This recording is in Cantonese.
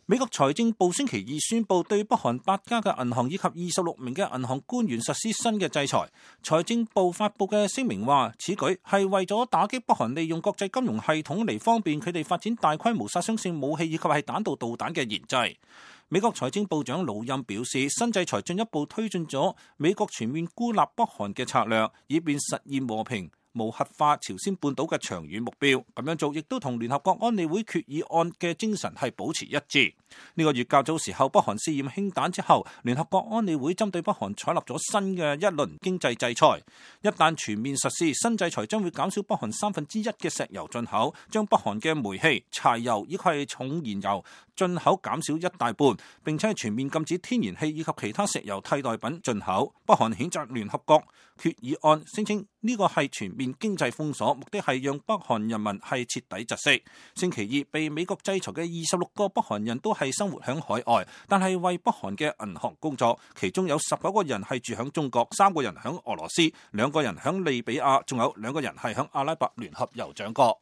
美國財政部星期二宣布對北韓8家嘅銀行以及26名嘅銀行官員實施新嘅制裁。財政部發布嘅聲明話，此舉係為咗打擊北韓利用國際金融系統嚟方便佢哋發展大規模殺傷性武器以及係彈道導彈嘅研製。美國財政部長魯欽表示，新制裁進一步推進咗美國全面孤立北韓嘅策略，以便實現和平無核化朝鮮半島嘅長遠目標。咁樣做亦都同聯合國安理會決議案嘅精神係保持一致。呢個月較早時候，北韓試驗氫彈之後，聯合國安理會針對北韓採納咗新嘅一輪經濟制裁。一旦全面實施，新制裁將會減少北韓1/3嘅石油進口，將北韓嘅煤氣、柴油以及係重燃油進口減少一大半，並且全面禁止天然氣以及其他石油替代品進口。北韓譴責聯合國決議案，聲稱呢個係全面經濟封鎖，目的係讓北韓人民係徹底窒息。星期二被美國制裁嘅26個北韓人都係生活響海外，但係為北韓嘅銀行工作，其中有19個人係住響中國，3個人響俄羅斯，2個人響利比亞，仲有2個人係響阿拉伯聯合酋長國。